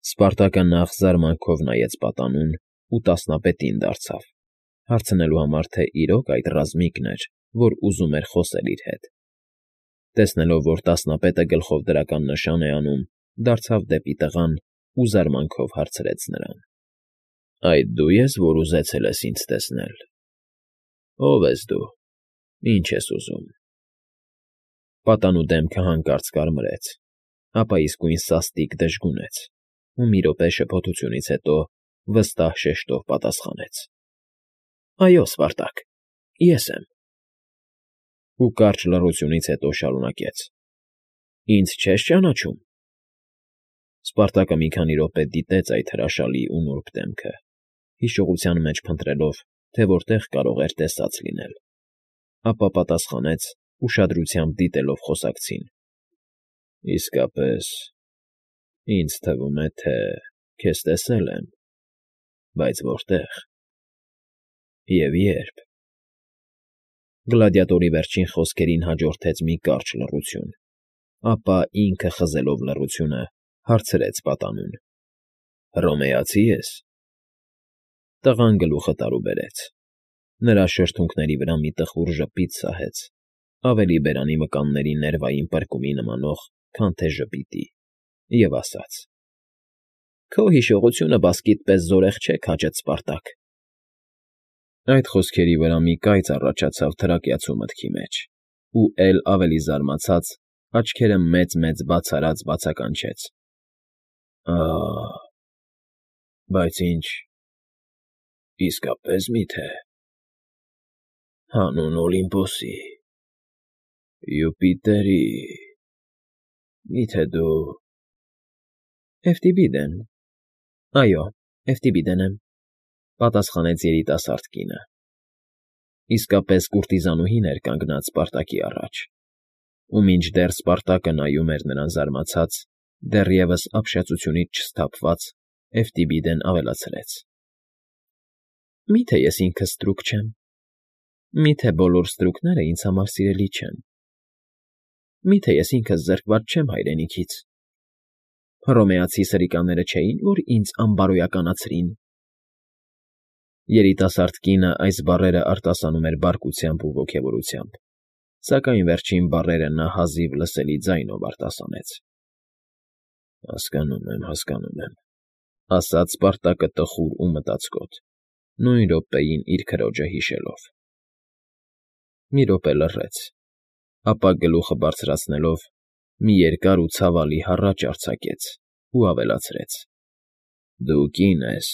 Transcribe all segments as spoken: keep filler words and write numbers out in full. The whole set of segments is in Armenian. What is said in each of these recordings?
Սպարտակը նախ զարմանքով նայեց պատանուն ու տասնապետին դարձավ, հարցնելու համար, թե իրոք այդ ռազմիկն էր, որ ուզում էր խոսել իր հետ. տեսնելով, որ տասնապետը գլխով դրական նշան է անում, դարձավ դեպի տղան ու զարմանքով հարցրեց նրան. ֊ Այդ դու ես, որ ուզեցել ես ինձ տեսնել, ո՞վ ես դու, ինչ ես ուզում։ Պատանու դեմքը հանկարծ կարմրեց, ապա իսկույն սաստիկ դժգունեց ու մի րոպե շփոթությունից հետո վստահ շեշտով պատասխանեց. ֊ Այո, Սպարտակ, ես եմ։ Ու կարճ լռությունից հետո շարունակեց. ֊ Ինձ չե՞ս ճանաչում։ Սպարտակը մի քանի րոպե դիտեց այդ հրաշալի ու նուրբ դեմքը, հիշողության մեջ փնտրելով, թե որտեղ կարող էր տեսած լինել, ապա պատասխանեց, ուշադրությամբ դիտելով խոսակցին. ֊ Իսկապես, ինձ թվում է, թե քեզ տեսել եմ, բայց որտե՞ղ և ե՞րբ։ Գլադիատորի վերջին խոսքերին հաջորդեց մի կարճ լռություն, ապա, ինքը խզելով լռությունը, հարցրեց պատանուն. ֊ Հռոմեացի ես։ Տղան գլուխը տարուբերեց. նրա շրթունքների վրա մի տխուր ժպիտ սահեց, ավելի բերանի մկանների ներվային պրկումի նմանող, քան թե ժպիտի, և ասաց. ֊ Քո հիշողությունը բասկիդ պես զորեղ չէ քաջդ, Սպարտակ։ Այդ խոսքերի վրա մի կայծ առաջացավ թրակյացու մտքի մեջ, ու էլ ավելի զարմացած, աչքերը մեծ֊մեծ բաց արած բացականչեց. ֊ Ա՜, բայց ինչ, իսկապե՞ս միթե… Հանուն Օլիմպոսի, Յուպիտերի… Մի՞թե դու… Էֆտիբիդեն… Այո, Էֆտիբիդեն եմ,֊ պատասխանեց երիտասարդ կինը։ Իսկապես կուրտիզանուհին էր կանգնած Սպարտակի առաջ, ու մինչդեռ Սպարտակը նայում էր նրան զարմացած, դեռևս ապշեցությունից չսթափված, Էֆտիբիդեն ավելացրեց. ֊ Մի՞թե ես ինքս ստրուկ չեմ, մի՞թե բոլոր ստրուկները ինձ համար սիրելի չեն, մի՞թե ես ինքս զրկված չեմ հայրենիքից… Հռոմեացի սրիկաները չէի՞ն, որ ինձ անբարոյականացրին… Երիտասարդ կինը այս բառերը արտասանում էր բարկությամբ ու ոգևորությամբ, սակայն վերջին բառերը նա հազիվ լսելի ձայնով արտասանեց։ ֊ Հասկանում եմ, հասկանում եմ,֊ ասաց Սպարտակը տխուր ու մտածկոտ, նույն րոպեին իր քրոջը հիշելով։ Մի րոպե լռեց, ապա գլուխը բարձրացնելով, մի երկար ու ցավալի հառաչ արձակեց ու ավելացրեց. ֊ Դու կին ես…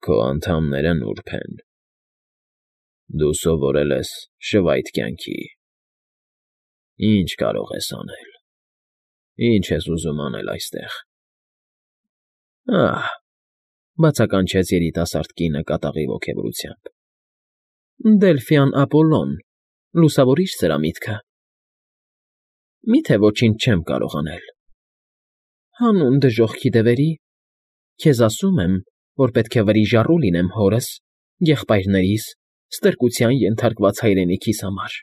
Քո անդամները նուրբ են… Դու սովորել ես շվայտ կյանքի… Ի՞նչ կարող ես անել… Ի՞նչ ես ուզում անել այստեղ… ֊ Ա՜հ,֊ բացականչեց երիտասարդ կինը կատաղի ոգևորությամբ,֊ Դելֆյան Ապոլլոն, լուսավորի՞չ սրա միտքը… Մի՞թե ոչինչ չեմ կարող անել… Հանուն դժոխքի դևերի, քեզ ասում եմ, որ պետք է վրիժառու լինեմ հորս, եղբայրներիս, ստրկության ենթարկված հայրենիքիս համար,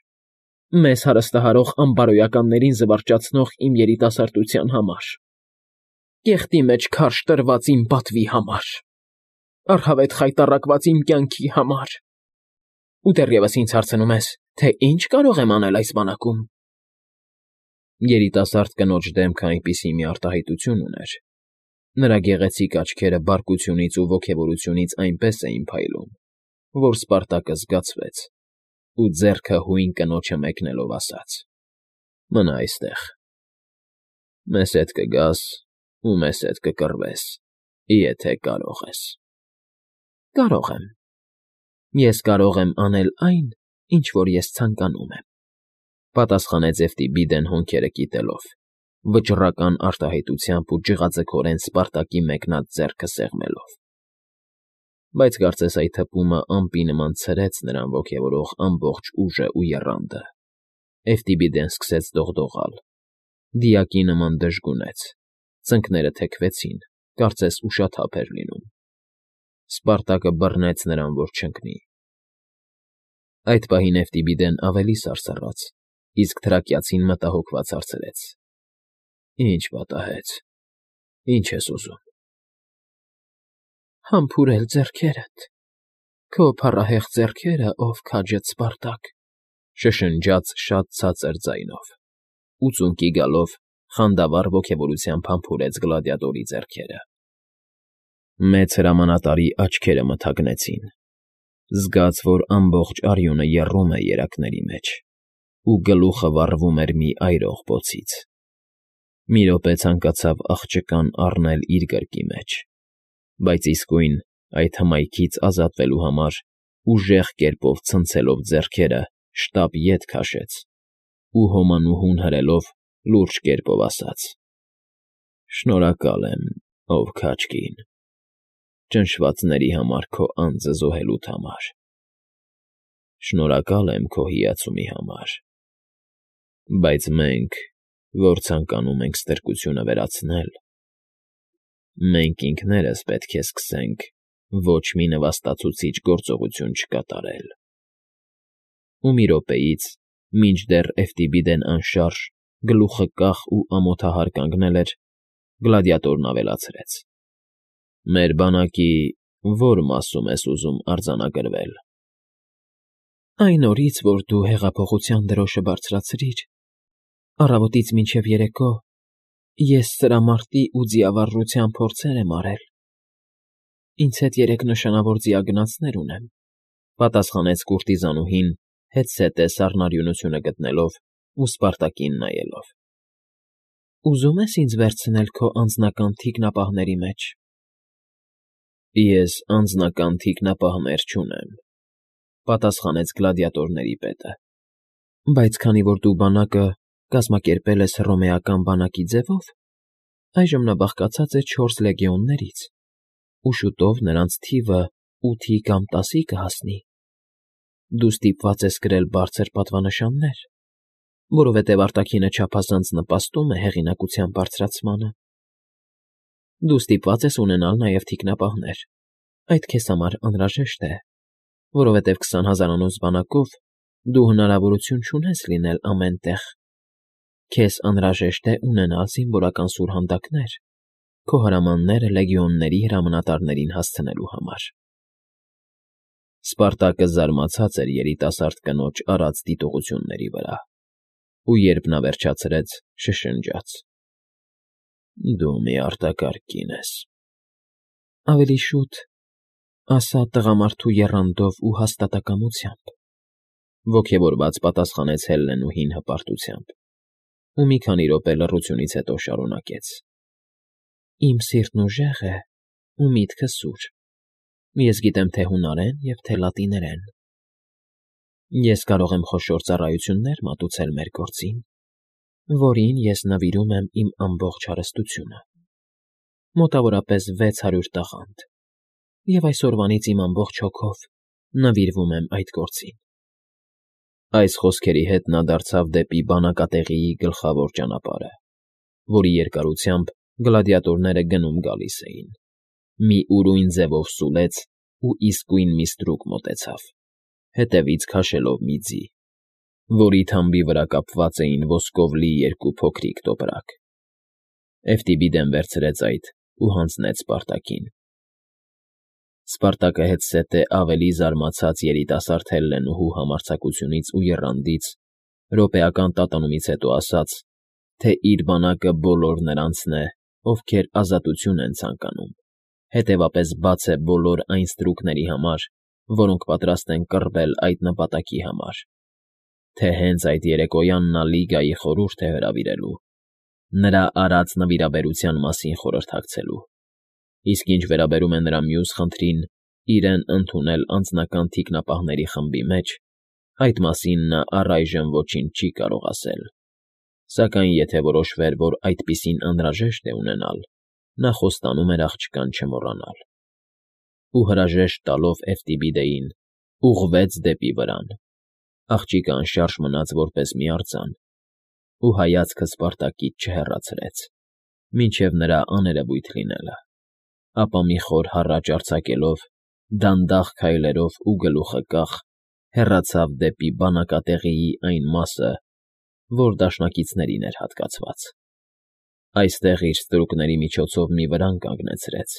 մեզ հարստահարող անբարոյականներին զվարճացնող իմ երիտասարդության համար, կեղտի մեջ քարշ տրված իմ պատվի համար, առհավետ խայտառակված իմ կյանքի համար… Ու դեռևս ինձ հարցնում ես, թե ի՞նչ կարող եմ անել այս բանակում… Երիտասարդ կնոջ դեմքը այնպիսի մի արտահայտություն ուներ, նրա գեղեցիկ աչքերը բարկությունից ու ոգևորությունից այնպես էին փայլում, որ Սպարտակը զգացվեց ու, ձեռքը հույն կնոջը մեկնելով, ասաց. ֊ Մնա այստեղ… Մեզ հետ կգաս ու մեզ հետ կկռվես, եթե կարող ես… ֊ Կարող եմ… Ես կարող եմ անել այն, ինչ որ ես ցանկանում եմ,֊ պատասխանեց Էֆտիբիդեն հոնքերը կիտելով, վճռական արտահայտությամբ ու ջղաձգորեն Սպարտակի մեկնած ձեռքը սեղմելով։ Բայց կարծես այդ հպումը ամպի նման ցրեց նրան ոգևորող ամբողջ ուժն ու եռանդը, Էֆտիբիդեն սկսեց դողդողալ, դիակի նման դժգունեց, ծնկները թեքվեցին, կարծես ուշաթափ էր լինում։ Սպարտակը բռնեց նրան, որ չընկնի… Այդ պահին Էֆտիբիդեն ավելի սարսռաց, իսկ թրակյացին մտահոգված հարցրեց. ֊ Ի՞նչ պատահեց… Ինչ ես ուզում։ Համբուրել ձեռքերդ, քո փառահեղ ձեռքերը, ով քաջդ Սպարտակ, շշնջաց շատ ցածր ձայնով, ու ծունկի գալով խանդավառ ոգևորությամբ համբուրեց գլադիատորի ձեռքերը։ Մեծ հրամանատարի աչքերը մթագնեցին, զգաց, որ ամբողջ արյունը եռում է երակների մեջ, ու գլուխը վառվում էր մի այրող բոցից։ Մի րոպե ցանկացավ աղջկան առնել իր գրկի մեջ, բայց իսկույն այդ հմայքից ազատվելու համար ուժեղ կերպով ցնցելով ձեռքերը շտապ ետ քաշեց ու հոմանուհուն հրելով լուրջ կերպով ասաց. «Շնորհակալ եմ, ով քաջ կին, ճնշվածների համար քո անձը զոհելուդ համար, շնորհակալ եմ քո հիացումի համար, բայց մենք, որ ցանկանում ենք ստրկությունը վերացնել, մենք ինքներս պետք է սկսենք ոչ մի նվաստացուցիչ գործողություն չկատարել»։ Ու մի րոպեից, մինչդեռ Էֆտիբիդեն անշարժ, գլուխը կախ ու ամոթահար կանգնել էր, գլադիատորն ավելացրեց. «Մեր բանակի ո՞ր մասում ես ուզում արձանագրվել»։ Այն օրից, որ դու հեղափոխության դրոշը բարձրացրիր, առավոտից մինչև երեկո, ես սրամարտի ու ձիավարժության փորձեր եմ արել։ Ինձ հետ երեք նշանավոր ձիագնացներ ունեմ, պատասխանեց կուրտիզանուհին, հետզհետե սառնարյունությունը գտնելով ու Սպարտակին նայելով։ Ուզում ես ինձ վերցնել քո անձնական թիկնապահների մեջ։ Ես անձնական թիկնապահներ չունեմ, պատասխանեց գլադիատորների պետը։ Բայց քանի որ դու բանակը կազմակերպել ես հռոմեական բանակի ձևով, այժմ նա բաղկացած է չորս լեգիոններից, ու շուտով նրանց թիվը ութի կամ տասի կհասնի։ Դու ստիպված ես կրել բարձր պատվանշաններ, որովհետև արտաքինը չափազանց նպաստում է հեղինակության բարձրացմանը։ Դու ստիպված ես ունենալ նաև թիկնապահներ, այդ քեզ համար անհրաժեշտ է, որովհետև քսան հազարանոց բանակով դու հնարավորություն չունես լինել ամեն տեղ։ Քեզ անհրաժեշտ է ունենալ զինվորական սուրհանդակներ, քո հրամանները լեգիոնների հրամանատարներին հասցնելու համար։ Սպարտակը զարմացած էր երիտասարդ կնոջ արած դիտողությունների վրա, ու երբ նա վերջացրեց, շշնջաց. «Դու մի արտակարգ կին ես»։ Ավելի շուտ, ասա տղամարդու եռանդով ու հաստատակամությամբ, ոգևորված պատասխանեց Հելլենուհին հպարտությամբ, ու մի քանի րոպե լռությունից հետո շարունակեց. Իմ սիրտն ուժեղ է ու միտքը սուր։ Ես գիտեմ թե հունարեն և թե լատիներեն։ Ես կարող եմ խոշոր ծառայություններ մատուցել մեր գործին, որին ես նվիրում եմ իմ ամբողջ հարստությունը, մոտավորապես վեց հարյուր տաղանդ, և այսօրվանից իմ ամբողջ հոգով նվիրվում եմ այդ գործին։ Այս խոսքերի հետ նա դարձավ դեպի բանակատեղիի գլխավոր ճանապարհը, որի երկարությամբ գլադիատորները գնում֊գալիս էին, մի ուրույն ձևով սուլեց ու իսկույն մի ստրուկ մոտեցավ, հետևից քաշելով մի ձի, որի թամբի վրա կապված էին ոսկով լի երկու փոքրիկ տոպրակ։ Էֆտիբիդեն վերցրեց այդ ու հանձնեց Սպարտակին։ Սպարտակը հետզհետե ավելի զարմացած երիտասարդ Հելլենուհու համարձակությունից ու եռանդից, րոպեական տատանումից հետո ասաց, թե իր բանակը բոլոր նրանցն է, ովքեր ազատություն են ցանկանում, հետևապես բաց է բոլոր այն ստրուկների համար, որոնք պատրաստ են կռվել այդ նպատակի համար, թե հենց այդ երեկոյան նա Լիգայի խորհուրդ է հրավիրելու, նրա արած նվիրաբերության մասին խորհրդակցելու, իսկ ինչ վերաբերում է նրա մյուս խնդրին՝ իրեն ընդունել անձնական թիկնապահների խմբի մեջ, այդ մասին նա առայժմ ոչինչ չի կարող ասել, սակայն եթե որոշվեր, որ այդպիսին անհրաժեշտ է ունենալ, նա խոստանում էր աղջկան չմոռանալ։ Ու հրաժեշտ տալով Էֆտիբիդեին, ուղղվեց դեպի վրան, աղջիկը անշարժ մնաց որպես մի արձան, ու հայացքը Սպարտակից չհեռացրեց, մինչև նրա աներևույթ լինելը, ապա մի խոր հառաչ արձակելով, դանդաղ քայլերով ու գլուխը կախ, հեռացավ դեպի բանակատեղիի այն մասը, որ դաշնակիցներին էր հատկացված։ Այստեղ իր ստրուկների միջոցով մի վրան կանգնեցրեց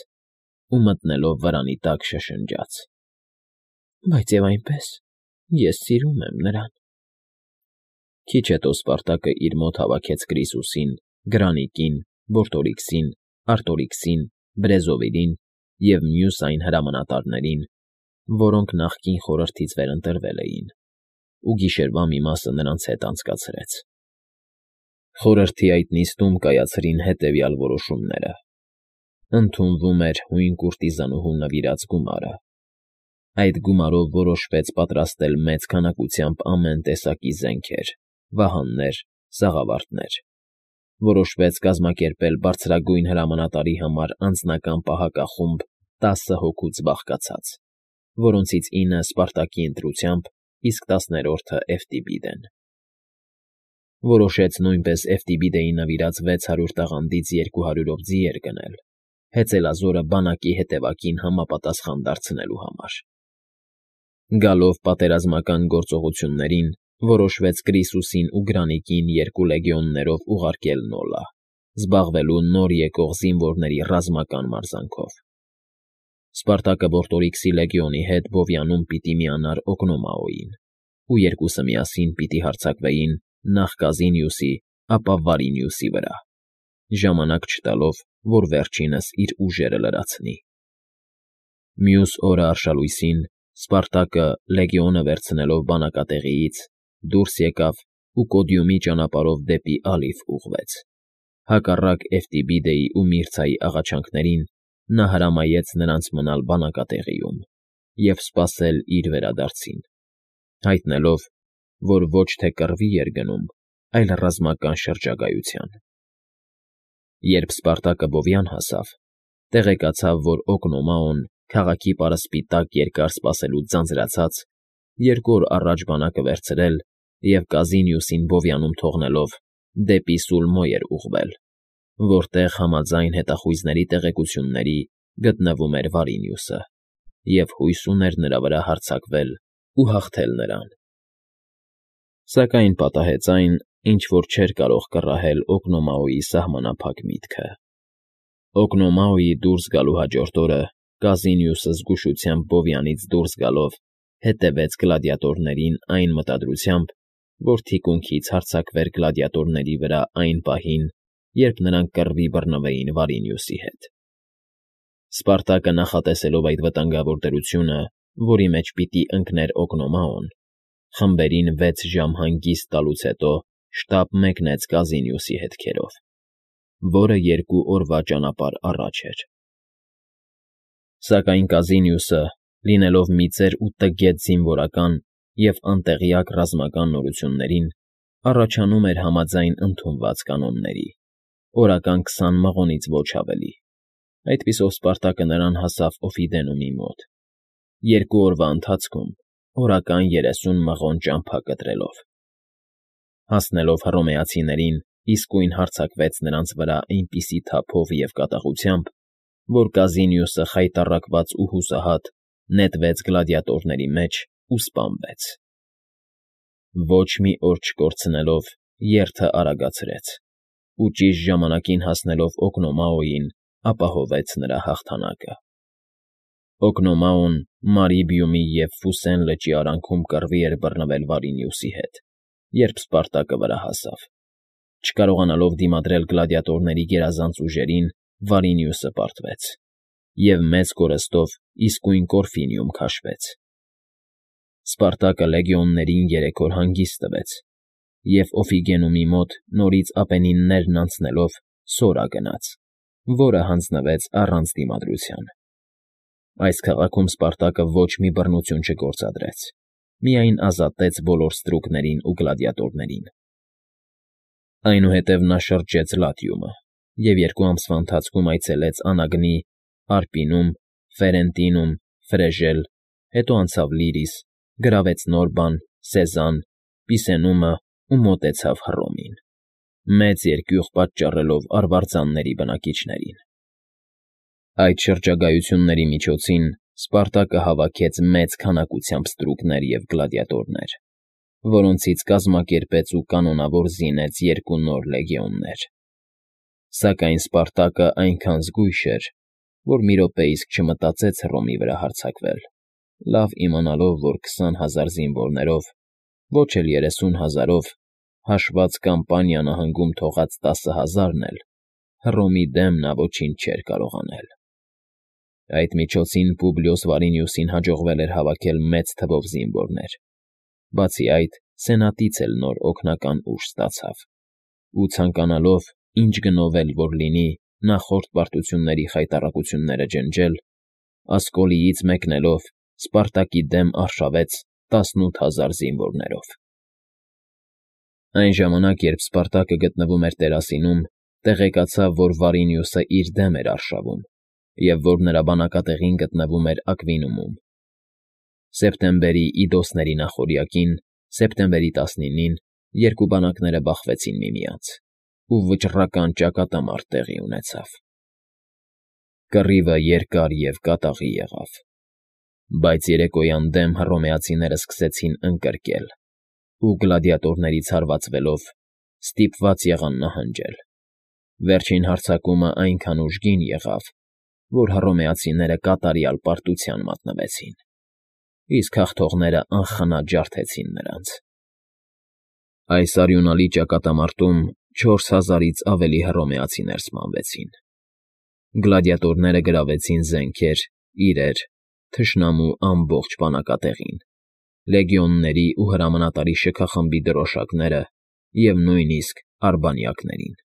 ու մտնելով վրանի տակ շշնջաց. Բայց և այնպես ես սիրում եմ նրան։ Քիչ հետո Սպարտակը իր մոտ հավաքեց Կրիսուսին, Գրանիկին, Բորտորիքսին, Արտորիքսին, Բրեզովիլին և մյուս այն հրամանատարներին, որոնք նախկին խորհրդից վերընտրվել էին, ու գիշերվա մի մասը նրանց հետ անցկացրեց։ Խորհրդի այդ նիստում կայացրին հետևյալ որոշումները. ընդունվում էր հույն կուրտիզանուհու նվիրած գումարը։ Այդ գումարով որոշվեց պատրաստել մեծ քանակությամբ ամեն տեսակի զենքեր, վահաններ, սաղավարտներ։ Որոշվեց կազմակերպել բարձրագույն հրամանատարի համար անձնական պահակախումբ տասը հոգուց բաղկացած, որոնցից ինը Սպարտակի ընտրությամբ, իսկ տասներորդը Էվտիբիդեն։ Որոշեց նույնպես Էվտիբիդեի նվիրած վեց հարյուր տաղանդից երկու հարյուրով ձիեր գնել, հեծելազորը բանակի հետևակին համապատասխան դարձնելու համար։ Գալով պատերազմական գործողություններին, որոշվեց Կրիսուսին ու Գրանիկին երկու լեգիոններով ուղարկել Նոլա, զբաղվելու նոր եկող զինվորների ռազմական մարզանքով։ Սպարտակը Բորտորիքսի լեգիոնի հետ Բովյանում պիտի միանար Օկնոմաոյին, ու երկուսը միասին պիտի հարձակվեին նախ Կազինիուսի, ապա Վարինիուսի վրա, ժամանակ չտալով, որ վերջինս իր ուժերը լրացնի։ Մյուս օրը արշալույսին Սպարտակը, լեգիոնը վերցնելով բանակատեղիից, դուրս եկավ ու Կոդիումի ճանապարհով դեպի Ալիֆ ուղղվեց։ Հակառակ Էվտիբիդեի ու Միրցայի աղաչանքներին նա հրամայեց նրանց մնալ բանակատեղիում և սպասել իր վերադարձին, հայտնելով, որ ոչ թե կռվի էր գնում, այլ ռազմական շրջագայության։ Երբ Սպարտակը Բովյան հասավ, տեղեկացավ, որ Օկնոմաոն, քաղաքի պարսպի տակ երկար սպասելուց ձանձրացած, երկու օր առաջ բանակը վերցրել և Կազինիուսին Բովյանում թողնելով դեպի Սուլմո էր ուղղվել, որտեղ համաձայն հետախույզների տեղեկությունների գտնվում էր Վարինիուսը, և հույս ուներ նրա վրա հարձակվել ու հաղթել նրան։ Սակայն պատահեց այն, ինչ որ չէր կարող կռահել Օկնոմաոյի սահմանափակ միտքը։ Օկնոմաոյի դուրս գալու հաջորդ օրը Կազինիուսը զգուշությամբ Բովյանից դուրս գալով հետևեց գլադիատորներին այն մտադրությամբ, որ թիկունքից հարձակվեր գլադիատորների վրա այն պահին, երբ նրանք կռվի բռնվեին Վարինիուսի հետ։ Սպարտակը նախատեսելով այդ վտանգավոր դրությունը, որի մեջ պիտի ընկներ Օկնոմաոն, խմբերին վեց ժամ հանգիստ տալուց հետո շտապ մեկնեց Կազինիուսի հետքերով, որը երկու օրվա ճանապարհ առաջ էր։ Սակայն Կազինիուսը, լինելով մի ծեր ու տգետ զինվորական և անտեղյակ ռազմական նորություններին, առաջանում էր համաձայն ընդունված կանոնների, օրական քսան մղոնից ոչ ավելի։ Այդպիսով Սպարտակը նրան հասավ Օֆիդենումի մոտ, երկու օրվա ընթացքում օրական երեսուն մղոն ճամփա կտրելով։ Հասնելով հռոմեացիներին, իսկույն հարձակվեց նրանց վրա այնպիսի թափով և կատաղությամբ, որ Կազինիուսը խայտառակված ու հուսահատ նետվեց գլադիատորների մեջ ու սպանվեց։ Ոչ մի օր չկորցնելով, երթը արագացրեց ու ճիշտ ժամանակին հասնելով Օկնոմաոյին, ապահովեց նրա հաղթանակը։ Օկնոմաոն Մարիբիումի և Ֆուսեն լճի արանքում կռվի էր բռնվել Վարինիուսի հետ, երբ Սպարտակը վրա հասավ։ Չկարողանալով դիմադրել գլադիատորների գերազանց ուժերին, Վարինիուսը պարտվեց և մեծ կորստով իսկույն Կորֆինիում քաշվեց։ Սպարտակը լեգիոններին երեք օր հանգիստ տվեց և Օֆիգենումի մոտ նորից Ապենիններն անցնելով Սորա գնաց, որը հանձնվեց առանց դիմադրության։ Այս քաղաքում Սպարտակը ոչ մի բռնություն չգործադրեց, միայն ազատեց բոլոր ստրուկներին ու գլադիատորներին։ Այնուհետև նա շրջեց Լատիումը և երկու ամսվա ընթացքում այցելեց Անագնի, Արպինում, Ֆերենտինում, Ֆրեժել, հետո անցավ Լիրիս, գրավեց Նորբան, Սեզան, Պիսենումը ու մոտեցավ Հռոմին, մեծ երկյուղ պատճառելով արվարձանների բնակիչներին։ Այդ շրջագայությունների միջոցին Սպարտակը հավաքեց մեծ քանակությամբ ստրուկներ և գլադիատորներ, որոնցից կազմակերպեց ու կանոնավոր զինեց երկու նոր լեգիոններ։ Սակայն Սպարտակը այնքան զգույշ էր, որ մի րոպե իսկ չմտածեց Հռոմի վրա հարձակվել, լավ իմանալով, որ քսան հազար զինվորներով, ոչ էլ երեսուն հազարով, հաշված Կամպանիա նահանգում թողած տասը հազարն էլ Հռոմի դեմ նա ոչինչ չէր կարող անել։ Այդ միջոցին Պուբլիոս Վարինիուսին հաջողվել էր հավաքել մեծ թվով զինվորներ, բացի այդ, սենատից էլ նոր օգնական ուժ ստացավ, ու ցանկանալով, ինչ գնով էլ որ լինի, նախորդ պարտությունների խայտառակությունները ջնջել, Ասկոլիից մեկնելով Սպարտակի դեմ արշավեց տասնութ հազար զինվորներով։ Այն ժամանակ, երբ Սպարտակը գտնվում էր Տերասինում, տեղեկացավ, որ Վարինիուսը իր դեմ էր արշավում և որ նրա բանակատեղին գտնվում էր Ակվինումում։ Սեպտեմբերի Իդոսների նախօրյակին, սեպտեմբերի տասնինին, երկու բանակները բախվեցին միմյանց, ու վճռական ճակատամարտ տեղի ունեցավ։ Կռիվը երկար և կատաղի եղավ, բայց երեկոյան դեմ հռոմեացիները սկսեցին ընկրկել ու, գլադիատորներից հարվածվելով, ստիպված եղան նահանջել։ Վերջին հարձակումը այնքան ուժգին եղավ, որ հռոմեացիները կատարյալ պարտության մատնվեցին, իսկ հաղթողները անխնա ջարդեցին նրանց։ Այս արյունալի ճակատամարտում չորս հազարից ավելի հռոմեացիներ սպանվեցին։ Գլադիատորները գրավեցին զենքեր, իրեր, թշնամու ամբողջ բանակատեղին, լեգիոնների ու հրամանատարի շքախմբի դրոշակները և նույնիսկ արբանյակներին։